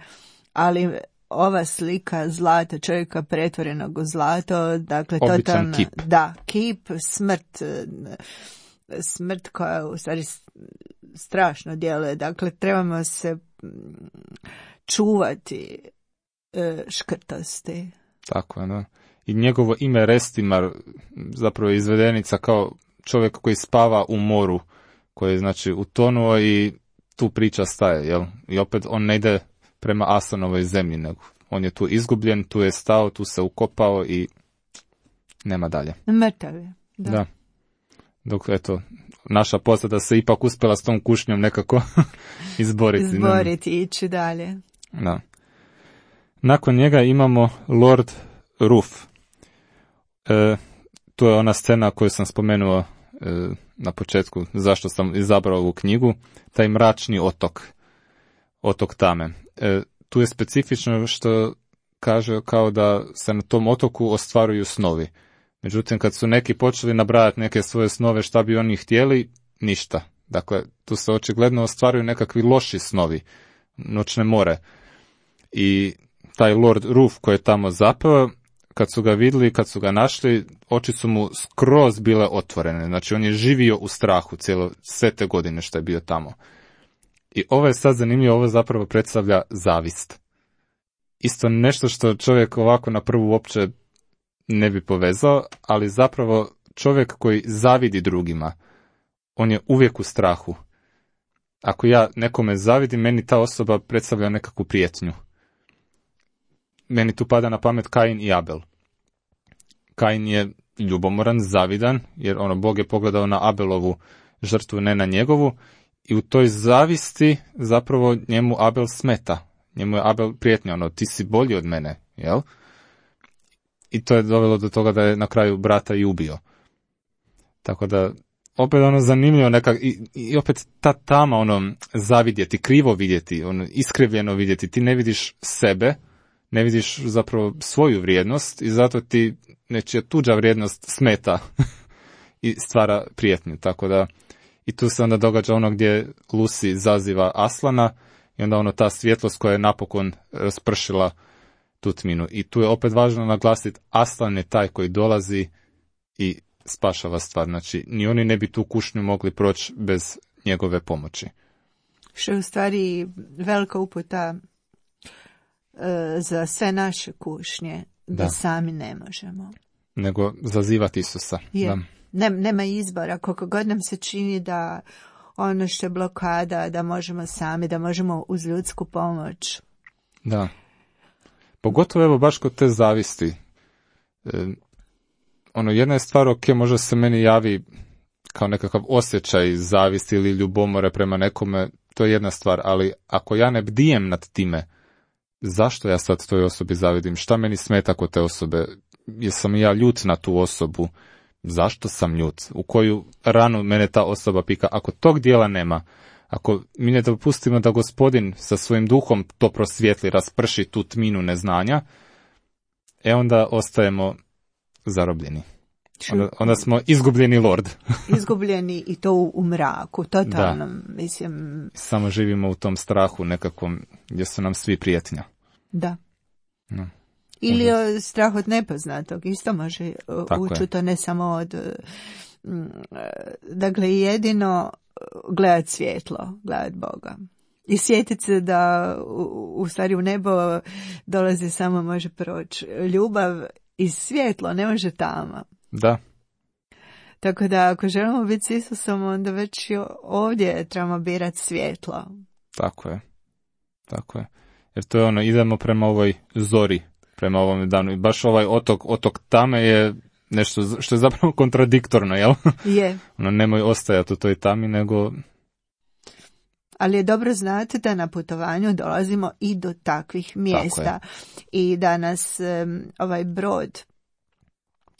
Speaker 1: ali ova slika zlata, čovjeka pretvorenog u zlato, dakle, totalno,
Speaker 2: kip.
Speaker 1: Da, kip, smrt, smrt koja u stvari strašno djeluje. Dakle, trebamo se čuvati škrtosti.
Speaker 2: Tako je, da. I njegovo ime Restimar zapravo je izvedenica kao čovjek koji spava u moru, koji je znači utonuo i tu priča staje, jel? I opet on ne ide prema Asanovoj zemlji, nego on je tu izgubljen, tu je stao, tu se ukopao i nema dalje.
Speaker 1: Mrtav je, da.
Speaker 2: Da. Dok, eto, naša posada se ipak uspjela s tom kušnjom nekako izboriti.
Speaker 1: Izboriti i ići dalje.
Speaker 2: Da. Nakon njega imamo Lord Ruf. E, to je ona scena koju sam spomenuo e, na početku, zašto sam izabrao ovu knjigu, taj mračni otok, otok Tame. E, tu je specifično što kaže kao da se na tom otoku ostvaruju snovi. Međutim, kad su neki počeli nabrajati neke svoje snove šta bi oni htjeli, ništa. Dakle, tu se očigledno ostvaruju nekakvi loši snovi, noćne more. I taj Lord Ruf koji je tamo zapeo, kad su ga vidjeli, kad su ga našli, oči su mu skroz bile otvorene. Znači, on je živio u strahu cijelo, sve te godine što je bio tamo. I ovo je sad zanimljivo, ovo zapravo predstavlja zavist. Isto nešto što čovjek ovako na prvu uopće ne bi povezao, ali zapravo čovjek koji zavidi drugima, on je uvijek u strahu. Ako ja nekome zavidim, meni ta osoba predstavlja nekakvu prijetnju. Meni tu pada na pamet Kain i Abel. Kain je ljubomoran, zavidan, jer ono, Bog je pogledao na Abelovu žrtvu, ne na njegovu, i u toj zavisti zapravo njemu Abel smeta. Njemu je Abel prijetnja, ono, ti si bolji od mene, jel? I to je dovelo do toga da je na kraju brata i ubio. Tako da, opet ono zanimljivo nekak, i, i opet ta tama, ono, zavidjeti, krivo vidjeti, ono, iskrivljeno vidjeti, ti ne vidiš sebe, ne vidiš zapravo svoju vrijednost i zato ti nečija tuđa vrijednost smeta i stvara prijetnju. Tako da, i tu se onda događa ono gdje Lucy zaziva Aslana i onda ono ta svjetlost koja je napokon raspršila tu tminu. I tu je opet važno naglasiti, Aslan je taj koji dolazi i spašava stvar. Znači, ni oni ne bi tu kušnju mogli proći bez njegove pomoći.
Speaker 1: Što je u stvari velika uputa e, za sve naše kušnje, da, da sami ne možemo.
Speaker 2: Nego zazivati Isusa.
Speaker 1: Je.
Speaker 2: Da.
Speaker 1: Ne, nema izbora, koliko god nam se čini da ono što je blokada, da možemo sami, da možemo uz ljudsku pomoć.
Speaker 2: Da. Pogotovo evo baš kod te zavisti. E, ono, jedna je stvar, ok, možda se meni javi kao nekakav osjećaj zavisti ili ljubomore prema nekome, to je jedna stvar, ali ako ja ne bdijem nad time, zašto ja sad toj osobi zavidim? Šta meni smeta kod te osobe? Jesam ja ljut na tu osobu? Zašto sam ljut? U koju ranu mene ta osoba pika? Ako tog dijela nema, ako mi ne dopustimo da Gospodin sa svojim duhom to prosvijetli, rasprši tu tminu neznanja, e onda ostajemo zarobljeni. Onda, onda smo izgubljeni lord.
Speaker 1: Izgubljeni i to u, u mraku, totalno, da. Mislim...
Speaker 2: Samo živimo u tom strahu nekakvom gdje su nam svi prijetnja.
Speaker 1: Da.
Speaker 2: No.
Speaker 1: Ili o strah od nepoznatog, isto može ući to, ne samo od... Dakle, jedino gledat svjetlo, gledat Boga. I sjetiti se da u, u stvari u nebo dolazi samo može proći ljubav i svjetlo, ne može tama.
Speaker 2: Da.
Speaker 1: Tako da ako želimo biti s Isusom, onda već ovdje trebamo birati svjetlo.
Speaker 2: Tako je. Tako je. Jer to je ono, idemo prema ovoj zori, prema ovom danu. I baš ovaj otok, otok tame je nešto što je zapravo kontradiktorno, jel?
Speaker 1: Je.
Speaker 2: Ono, nemoj ostajati u toj tami, nego...
Speaker 1: Ali je dobro znati da na putovanju dolazimo i do takvih mjesta. I da nas um, ovaj brod,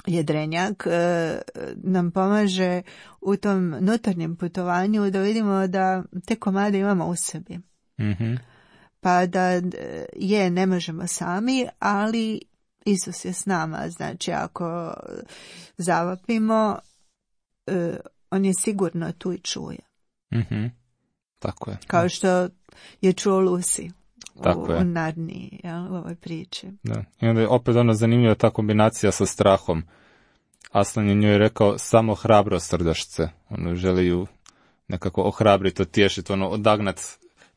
Speaker 1: jedrenjak, uh, nam pomaže u tom nutarnjem putovanju da vidimo da te komade imamo u sebi.
Speaker 2: Mhm.
Speaker 1: Pa da je, ne možemo sami, ali Isus je s nama. Znači, ako zavapimo, uh, on je sigurno tu i čuje.
Speaker 2: Mhm. Tako je.
Speaker 1: Kao što je čuo Lucy
Speaker 2: Tako
Speaker 1: u,
Speaker 2: je.
Speaker 1: u Narniji, jel, u ovoj priči.
Speaker 2: Da. I onda je opet ono zanimljiva ta kombinacija sa strahom. Aslan je njoj rekao samo hrabro srdašce. Ono, želi ju nekako ohrabriti, otješiti, ono, odagnat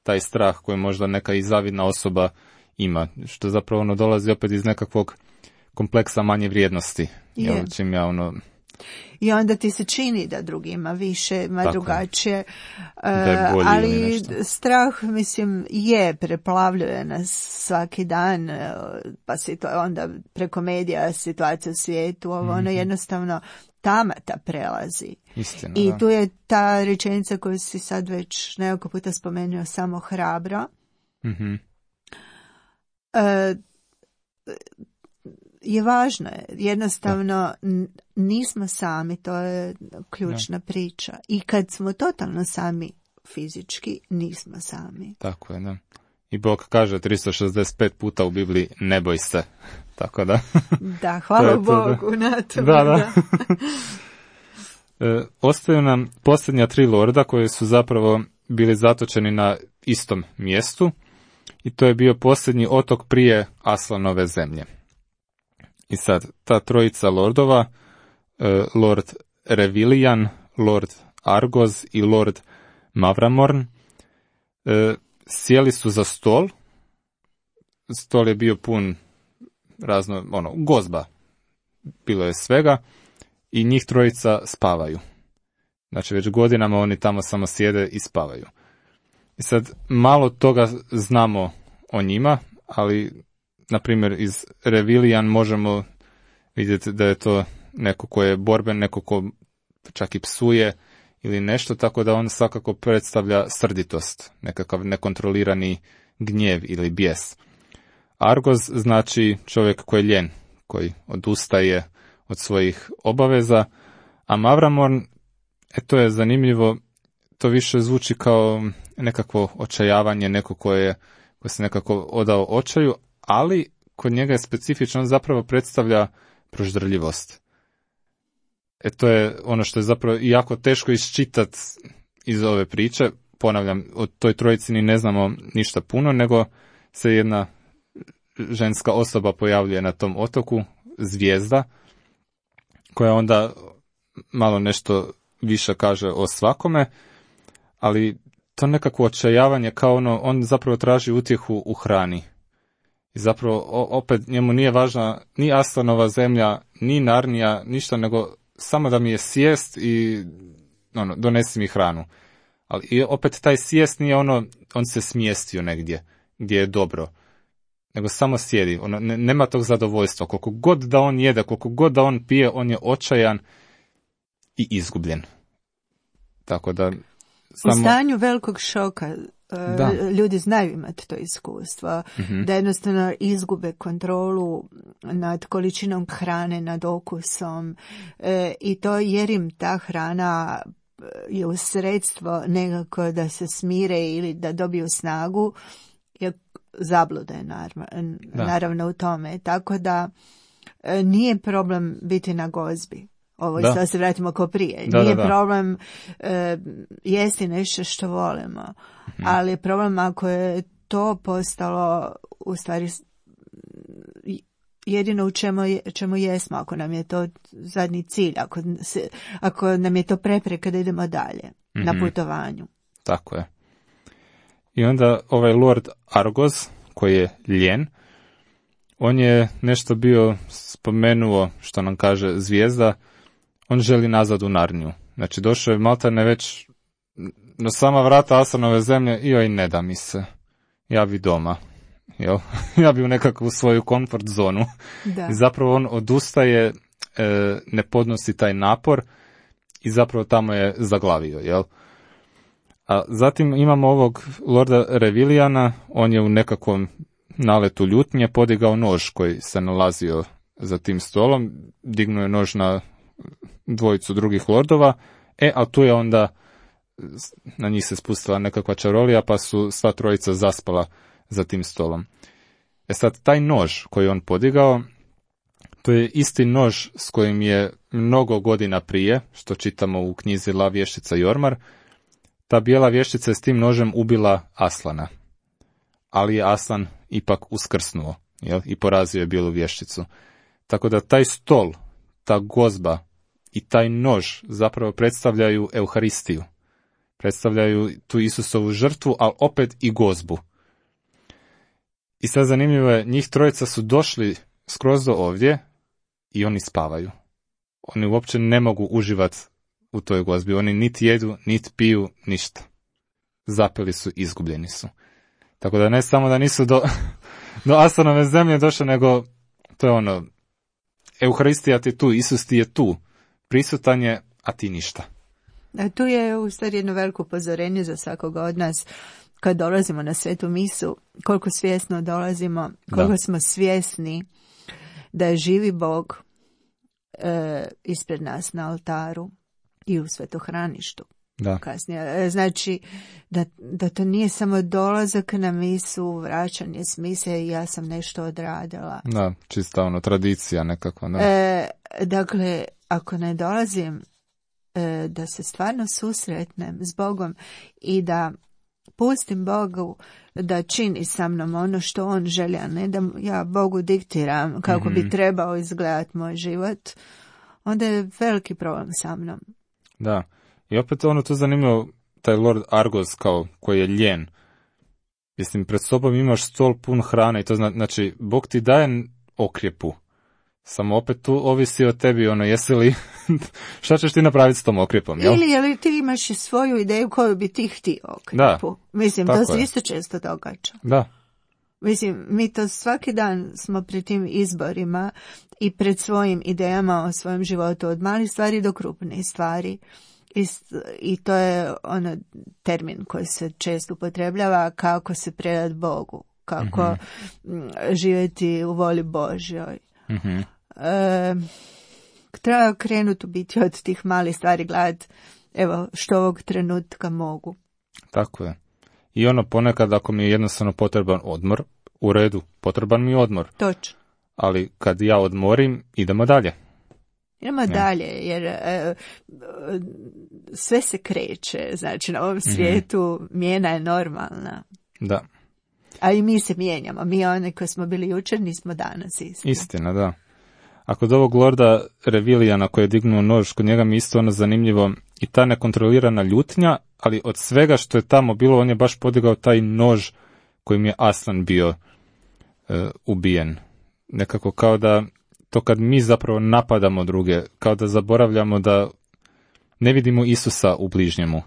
Speaker 2: taj strah koji možda neka i zavidna osoba ima. Što zapravo ono dolazi opet iz nekakvog kompleksa manje vrijednosti. Jel, čim ja ono...
Speaker 1: I onda ti se čini da drugi ima više, ima
Speaker 2: Tako
Speaker 1: drugačije,
Speaker 2: je bolji
Speaker 1: ali strah, mislim, je, preplavljuje nas svaki dan, pa se to onda preko medija, situacija u svijetu, ovo, mm-hmm. ono jednostavno tamata prelazi.
Speaker 2: Istina,
Speaker 1: I
Speaker 2: da.
Speaker 1: tu je ta rečenica koju si sad već nekoliko puta spomenuo, samo hrabro.
Speaker 2: Mhm.
Speaker 1: E, je važno, jednostavno n- nismo sami, to je ključna da. priča. I kad smo totalno sami fizički, nismo sami.
Speaker 2: Tako je, da. I Bog kaže tristo šezdeset pet puta u Bibliji, ne boj se. Tako da.
Speaker 1: Da, hvala to Bogu to, da. na to.
Speaker 2: Da, da. e, ostaju nam posljednja tri lorda koji su zapravo bili zatočeni na istom mjestu i to je bio posljednji otok prije Aslanove zemlje. I sad, ta trojica lordova, e, Lord Revilian, Lord Argoz i Lord Mavramorn, e, sjeli su za stol. Stol je bio pun razno, ono, gozba. Bilo je svega i njih trojica spavaju. Znači, već godinama oni tamo samo sjede i spavaju. I sad, malo toga znamo o njima, ali... Na primjer, iz Revilian možemo vidjeti da je to neko ko je borben, neko ko čak i psuje ili nešto, tako da on svakako predstavlja srditost, nekakav nekontrolirani gnjev ili bijes. Argoz znači čovjek koji je ljen, koji odustaje od svojih obaveza, a Mavramorn, e, to je zanimljivo, to više zvuči kao nekakvo očajavanje, neko koje ko se nekako odao očaju, ali kod njega je specifično, on zapravo predstavlja proždrljivost. E to je ono što je zapravo jako teško iščitati iz ove priče. ponavljam, o toj trojici ni ne znamo ništa puno, nego se jedna ženska osoba pojavljuje na tom otoku, zvijezda, koja onda malo nešto više kaže o svakome, ali to nekakvo očajavanje kao ono, on zapravo traži utjehu u hrani. I zapravo opet njemu nije važna ni Aslanova zemlja, ni Narnija, ništa, nego samo da mi je sjest i ono, donesi mi hranu. Ali i opet taj sjest nije ono, on se smjestio negdje gdje je dobro, nego samo sjedi, ono, ne, nema tog zadovoljstva. Koliko god da on jede, koliko god da on pije, on je očajan i izgubljen. Tako da... Samo...
Speaker 1: U stanju velikog šoka
Speaker 2: da.
Speaker 1: Ljudi znaju imati to iskustvo, mm-hmm. da jednostavno izgube kontrolu nad količinom hrane, nad okusom e, i to jer im ta hrana je u sredstvo nekako da se smire ili da dobiju snagu, je zablude naravno, naravno u tome. Tako da e, nije problem biti na gozbi. Ovo isto da se vratimo kao prije.
Speaker 2: Da,
Speaker 1: Nije
Speaker 2: da, da.
Speaker 1: problem e, jesti nešto što volimo, mm-hmm. ali je problem ako je to postalo u stvari jedino u čemu, čemu jesmo, ako nam je to zadnji cilj, ako, se, ako nam je to prepreka da idemo dalje mm-hmm. na putovanju.
Speaker 2: Tako je. I onda ovaj Lord Argos, koji je ljen, on je nešto bio spomenuo, što nam kaže zvijezda, on želi nazad u Narniju. Znači, došao je maltene već na sama vrata Aslanove zemlje i oj, ne da mi se. Ja bi doma. Jel? Ja bi u nekakvu svoju komfort zonu.
Speaker 1: Da.
Speaker 2: I zapravo on odustaje, e, ne podnosi taj napor i zapravo tamo je zaglavio. Jel? A zatim imamo ovog Lorda Revilijana, on je u nekakvom naletu ljutnje podigao nož koji se nalazio za tim stolom, dignuo je nož na dvojicu drugih lordova, e, a tu je onda na njih se spustila nekakva čarolija, pa su sva trojica zaspala za tim stolom. E sad, taj nož koji on podigao, to je isti nož s kojim je mnogo godina prije, što čitamo u knjizi La vještica i ormar, ta bijela vještica je s tim nožem ubila Aslana. Ali je Aslan ipak uskrsnuo, jel? I porazio je bijelu vješticu. Tako da taj stol, ta gozba i taj nož zapravo predstavljaju Euharistiju. Predstavljaju tu Isusovu žrtvu, ali opet i gozbu. I sad zanimljivo je, njih trojica su došli skroz do ovdje i oni spavaju. Oni uopće ne mogu uživati u toj gozbi. Oni niti jedu, niti piju, ništa. Zapeli su, izgubljeni su. Tako da ne samo da nisu do, do Aslanove zemlje došli, nego to je ono, Euharistija ti je tu, Isus ti je tu, prisutan je, a ti ništa.
Speaker 1: A tu je u stvari jedno veliko upozorenje za svakoga od nas kad dolazimo na svetu misu, koliko svjesno dolazimo, koliko da. smo svjesni da je živi Bog e, ispred nas na oltaru i u svetohraništu.
Speaker 2: Da.
Speaker 1: Kasnije. Znači, da, da to nije samo dolazak na misu, vraćanje s mise i ja sam nešto odradila.
Speaker 2: Da, čista ono, tradicija nekako. Da.
Speaker 1: E, dakle, ako ne dolazim e, da se stvarno susretnem s Bogom i da pustim Bogu da čini sa mnom ono što on želi, a ne da ja Bogu diktiram kako mm-hmm. bi trebao izgledati moj život, onda je veliki problem sa mnom.
Speaker 2: Da. I opet ono tu zanimljivo, taj Lord Argos kao koji je ljen. Mislim, pred sobom imaš stol pun hrane i to zna, znači, Bog ti daje okrjepu. Samo opet tu ovisi o tebi, ono, jesi li, šta ćeš ti napraviti s tom okrjepom, jel?
Speaker 1: Ili je li ti imaš svoju ideju koju bi ti htio okrjepu.
Speaker 2: Da.
Speaker 1: Mislim, to se isto često događa.
Speaker 2: Da.
Speaker 1: Mislim, mi to svaki dan smo pred tim izborima i pred svojim idejama o svojem životu, od malih stvari do krupnih stvari. I, I to je ono termin koji se često upotrebljava, kako se predati Bogu, kako mm-hmm. živjeti u voli Božjoj.
Speaker 2: Mm-hmm.
Speaker 1: E, treba krenuti u biti od tih malih stvari, gledati evo što ovog trenutka mogu.
Speaker 2: Tako je. I ono ponekad ako mi je jednostavno potreban odmor, u redu, potreban mi je odmor.
Speaker 1: Točno.
Speaker 2: Ali kad ja odmorim, idemo dalje.
Speaker 1: Idemo ja. dalje, jer e, sve se kreće, znači na ovom svijetu mm-hmm. mijena je normalna.
Speaker 2: Da.
Speaker 1: A i mi se mijenjamo, mi oni koji smo bili jučer nismo danas isti.
Speaker 2: Istina, da. A kod ovog Lorda Revilijana koji je dignuo nož, kod njega mi isto ono zanimljivo i ta nekontrolirana ljutnja, ali od svega što je tamo bilo, on je baš podigao taj nož kojim je Aslan bio e, ubijen. Nekako kao da to kad mi zapravo napadamo druge, kao da zaboravljamo da ne vidimo Isusa u bližnjemu.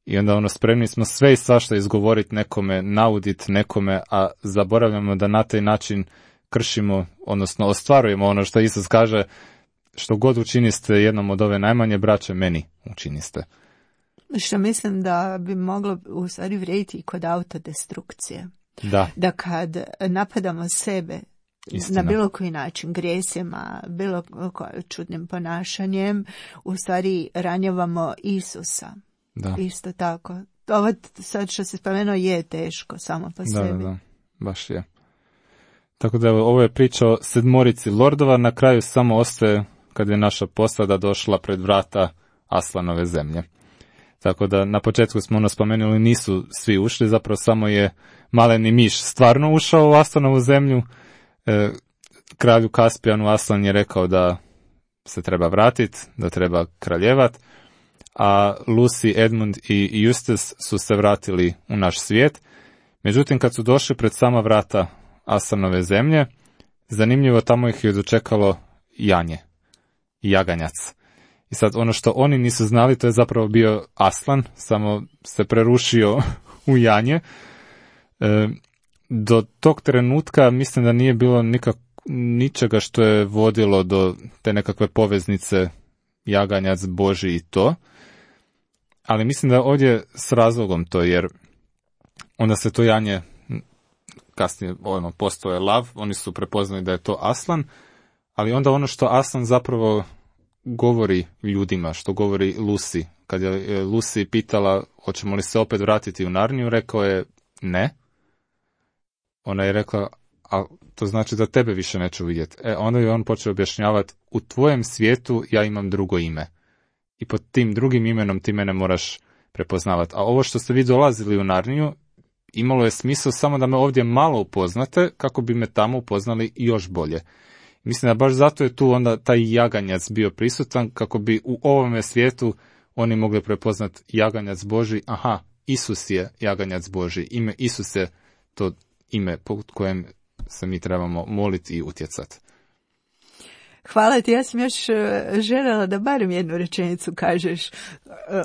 Speaker 2: I onda ono spremni smo sve i svašta izgovoriti nekome, nauditi nekome, a zaboravljamo da na taj način kršimo, odnosno ostvarujemo ono što Isus kaže, što god učiniste jednom od ove najmanje braće, meni učiniste.
Speaker 1: Što mislim da bi moglo u stvari vrijediti i kod autodestrukcije.
Speaker 2: Da.
Speaker 1: Da kad napadamo sebe, istina, na bilo koji način, grijesima, bilo čudnim ponašanjem, u stvari ranjavamo Isusa.
Speaker 2: Da.
Speaker 1: Isto tako. Ovo sad što se spomenuo je teško samo po
Speaker 2: da,
Speaker 1: sebi.
Speaker 2: Da, da, baš je. Tako da ovo je priča o sedmorici lordova, na kraju samo ostaje kad je naša posada došla pred vrata Aslanove zemlje. Tako da na početku smo ono spomenuli, nisu svi ušli, zapravo samo je maleni miš stvarno ušao u Aslanovu zemlju. E, kralju Kaspijanu Aslan je rekao da se treba vratiti, da treba kraljevat, a Lucy, Edmund i Eustace su se vratili u naš svijet. Međutim, kad su došli pred sama vrata Aslanove zemlje, zanimljivo, tamo ih je dočekalo janje, jaganjac. I sad ono što oni nisu znali, to je zapravo bio Aslan, samo se prerušio u janje. E, do tog trenutka mislim da nije bilo nikak, ničega što je vodilo do te nekakve poveznice jaganjac, Boži i to. Ali mislim da ovdje s razlogom to, jer onda se to janje, kasnije ono, postoje lav, oni su prepoznali da je to Aslan, ali onda ono što Aslan zapravo govori ljudima, što govori Lucy. Kad je Lucy pitala hoćemo li se opet vratiti u Narniju, rekao je ne. Ona je rekla, a to znači da tebe više neću vidjeti. E, onda je on počeo objašnjavati, u tvojem svijetu ja imam drugo ime. I pod tim drugim imenom ti mene moraš prepoznavati. A ovo što ste vi dolazili u Narniju, imalo je smisao samo da me ovdje malo upoznate, kako bi me tamo upoznali još bolje. Mislim da baš zato je tu onda taj jaganjac bio prisutan, kako bi u ovome svijetu oni mogli prepoznati jaganjac Boži. Aha, Isus je jaganjac Boži. Ime Isus je to ime po kojem se mi trebamo moliti i utjecati.
Speaker 1: Hvala ti, ja sam još željela da barem jednu rečenicu kažeš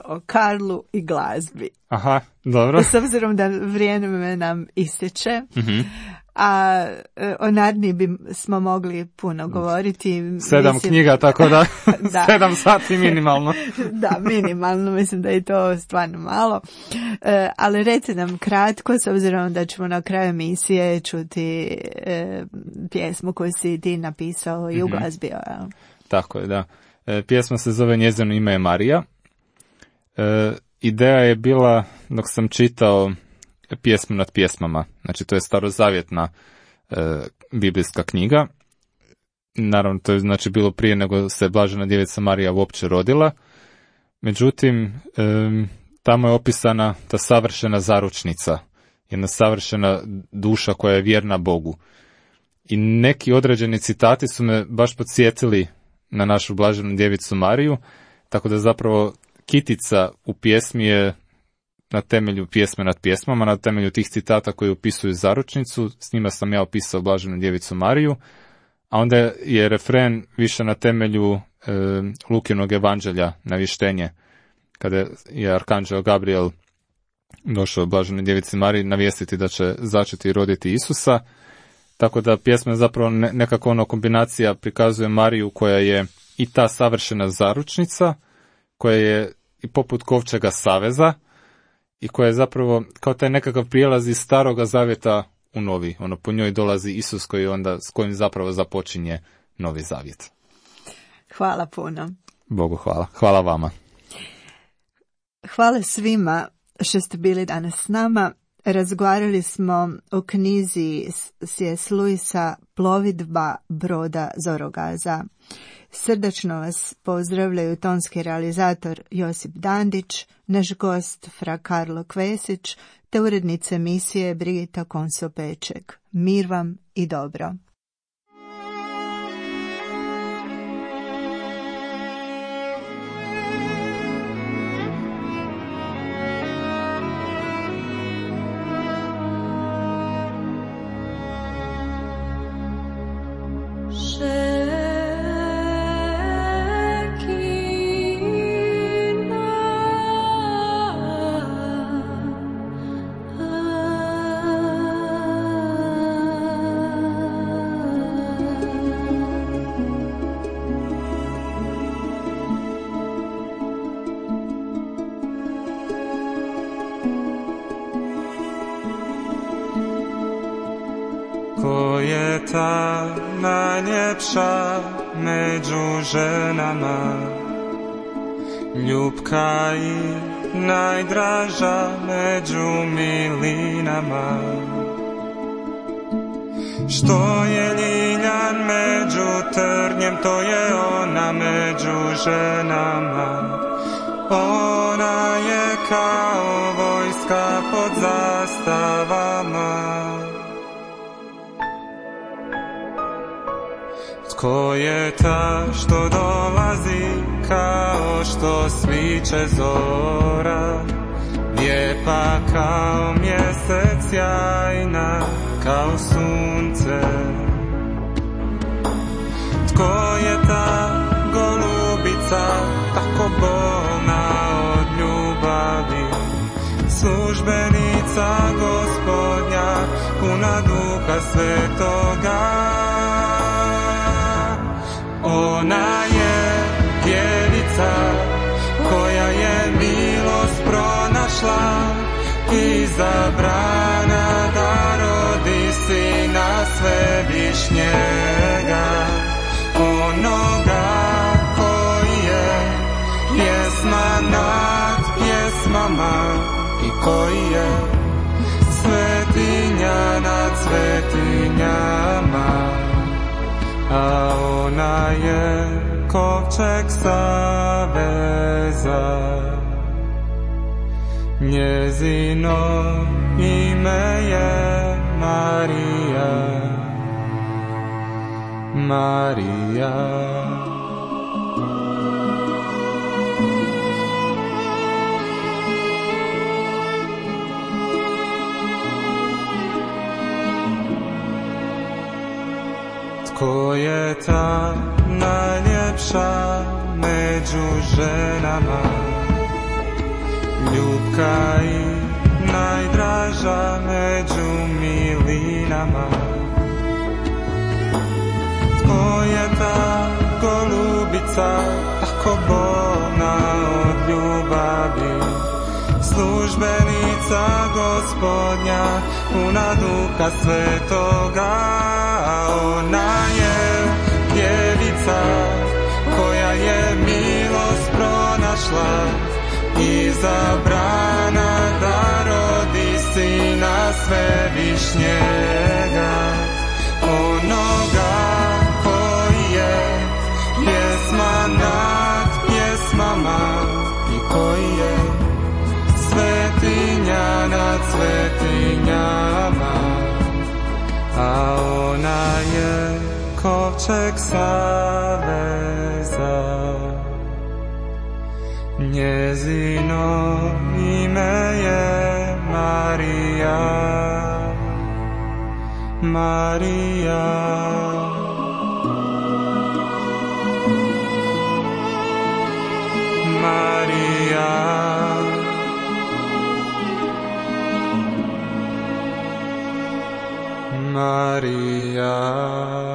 Speaker 1: o Karlu i glazbi.
Speaker 2: Aha, dobro.
Speaker 1: S obzirom da vrijeme nam ističe,
Speaker 2: mm-hmm.
Speaker 1: a o Narniji bi smo mogli puno govoriti.
Speaker 2: Sedam mislim, knjiga, tako da, da. sedam sati minimalno.
Speaker 1: Da, minimalno, mislim da je to stvarno malo. E, ali reci nam kratko, s obzirom da ćemo na kraju emisije čuti e, pjesmu koju si ti napisao i uglazbio. Mm-hmm.
Speaker 2: Tako je, da. E, pjesma se zove Njezino ime je Marija. E, ideja je bila, dok sam čitao pjesmu nad pjesmama, znači to je starozavjetna e, biblijska knjiga. Naravno, to je znači bilo prije nego se Blažena djevica Marija uopće rodila. Međutim, e, tamo je opisana ta savršena zaručnica, jedna savršena duša koja je vjerna Bogu. I neki određeni citati su me baš podsjetili na našu Blaženu djevicu Mariju, tako da zapravo kitica u pjesmi je na temelju pjesme nad pjesmama, na temelju tih citata koji opisuju zaručnicu, s njima sam ja opisao Blaženu djevicu Mariju, a onda je refren više na temelju e, Lukinog evanđelja, navještenje, kada je arkanđel Gabriel došao Blaženoj djevici Mariji navijestiti da će začeti i roditi Isusa, tako da pjesma zapravo ne, nekako ono kombinacija prikazuje Mariju koja je i ta savršena zaručnica, koja je i poput kovčega saveza, i koja je zapravo kao taj nekakav prijelaz iz staroga zavjeta u novi. Ono, po njoj dolazi Isus koji onda, s kojim zapravo započinje novi zavjet.
Speaker 1: Hvala puno.
Speaker 2: Bogu hvala. Hvala vama.
Speaker 1: Hvala svima što ste bili danas s nama. Razgovarali smo o knjizi C S. Lewisa Plovidba broda Zorogaza. Srdačno vas pozdravljaju tonski realizator Josip Dandić, naš gost fra Karlo Kvesić, te urednica emisije Brigita Konso-Peček. Mir vam i dobro.
Speaker 3: Ko je ta najljepša među ženama, ljubka i najdraža među milinama? Što je ljiljan među trnjem, to je ona među ženama. Ona je kao vojska pod zastavama. Tko je ta što dolazi kao što sviće zora, lijepa kao mjesec, sjajna kao sunce? Tko je ta golubica tako bolna od ljubavi, službenica Gospodnja, puna Duha Svetoga? Ona je djevica koja je milost pronašla, izabrana da rodi Sina Svevišnjega, onoga koji je pjesma nad pjesmama i koji je svetinja nad svetinjama. A ona je kovčeg saveza, njezino ime je Marija, Marija. Ko je ta najljepša među ženama, ljubka i najdraža među milinama? Tko je ta golubica tako bolna od ljubavi, službenica Gospodnja, puna Duha Svetoga? Ona je djevica koja je milost pronašla, izabrana da rodi Sina Svevišnjega, onoga koji je pjesma nad pjesmama i koji je svetinja nad svetinjama. A ona je kovčeg saveza, njezino ime je Marija, Marija. Marija. Maria.